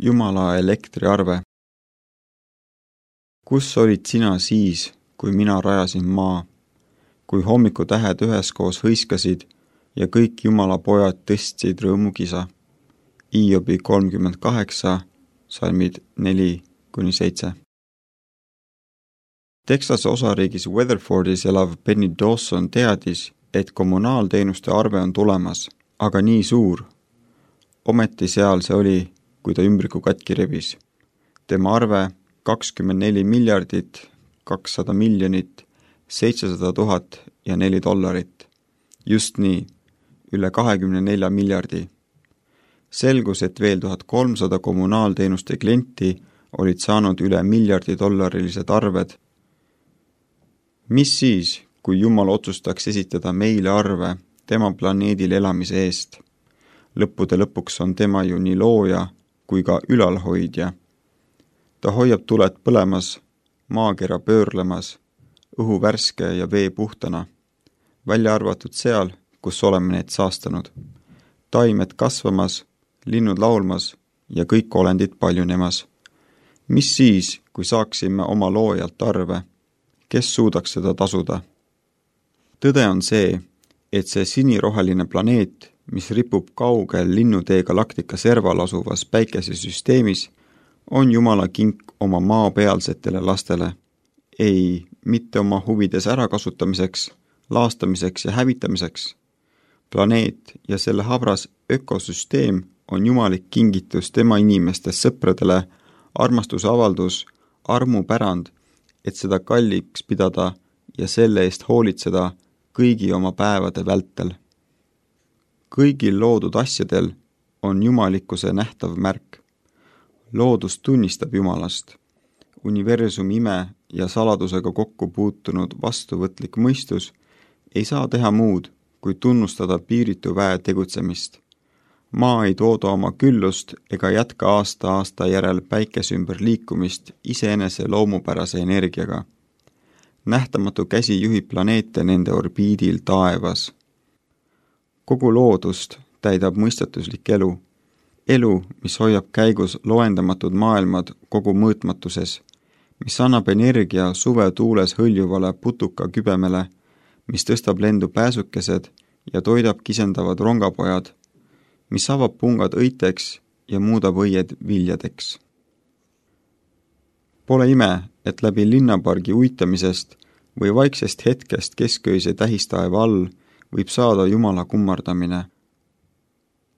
Jumala elektriarve. Kus olid sina siis, kui mina rajasin maa, kui hommikutähed üheskoos hõiskasid ja kõik Jumala pojad tõstsid rõõmukisa? Hiobi 38, salmid 4-7. Texase osariigis Weatherfordis elav Penny Dawson teadis, et kommunaalteenuste arve on tulemas, aga nii suur. Ometi seal see oli, kui ta ümbriku katki rebis. Tema arve 24 miljardit, 200 miljonit, 700 000 ja $4. Just nii, üle 24 miljardi. Selgus, et veel 1300 kommunaalteenuste klienti olid saanud üle $1 miljardi arved. Mis siis, kui Jumal otsustaks esitada meile arve tema planeedil elamise eest? Lõppude lõpuks on tema ju nii looja kui ka ülalhoidja. Ta hoiab tuled põlemas, maakera pöörlemas, õhu värske ja vee puhtana, välja arvatud seal, kus oleme need saastanud. Taimed kasvamas, linnud laulmas ja kõik olendid paljunemas. Mis siis, kui saaksime oma loojalt arve? Kes suudaks seda tasuda? Tõde on see, et see siniroheline planeet, mis ripub kaugel linnutee galaktika serval asuvas päikesesüsteemis, on Jumala kink oma maapealsetele lastele. Ei, mitte oma huvides ärakasutamiseks, laastamiseks ja hävitamiseks. Planeet ja selle habras ökosüsteem on jumalik kingitus tema inimeste sõpradele, armastusavaldus, armupärand, et seda kalliks pidada ja selle eest hoolitseda kõigi oma päevade vältel. Kõigil loodud asjadel on jumalikkuse nähtav märk. Loodus tunnistab Jumalast. Universumi ime ja saladusega kokku puutunud vastuvõtlik mõistus ei saa teha muud, kui tunnustada piiritu väe tegutsemist. Maa ei tooda oma küllust ega jätka aasta järel päikese ümber liikumist iseenese loomupärase energiaga. Nähtamatu käsi juhib planeete nende orbiidil taevas. Kogu loodust täidab mõistatuslik elu. Elu, mis hoiab käigus loendamatud maailmad kogu mõõtmatuses, mis annab energia suve tuules hõljuvale putuka kübemele, mis tõstab lendu pääsukesed ja toidab kisendavad rongapojad, mis avab pungad õiteks ja muudab õied viljadeks. Pole ime, et läbi linnapargi uitamisest või vaiksest hetkest kesköise tähistaeva all võib saada Jumala kummardamine.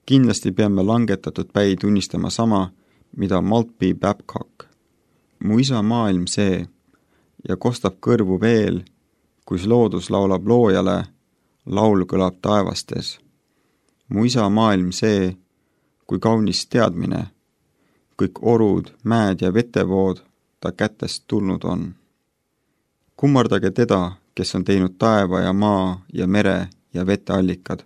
Kindlasti peame langetatud päi tunnistama sama, mida Maltby Babcock. Mu isa maailm see ja kostab kõrvu veel, kus loodus laulab loojale, laul kõlab taevastes. Mu isa maailm see, kui kaunis teadmine, kõik orud, mäed ja vetevood ta kätest tulnud on. Kummardage teda, kes on teinud taeva ja maa ja mere ja veteallikad.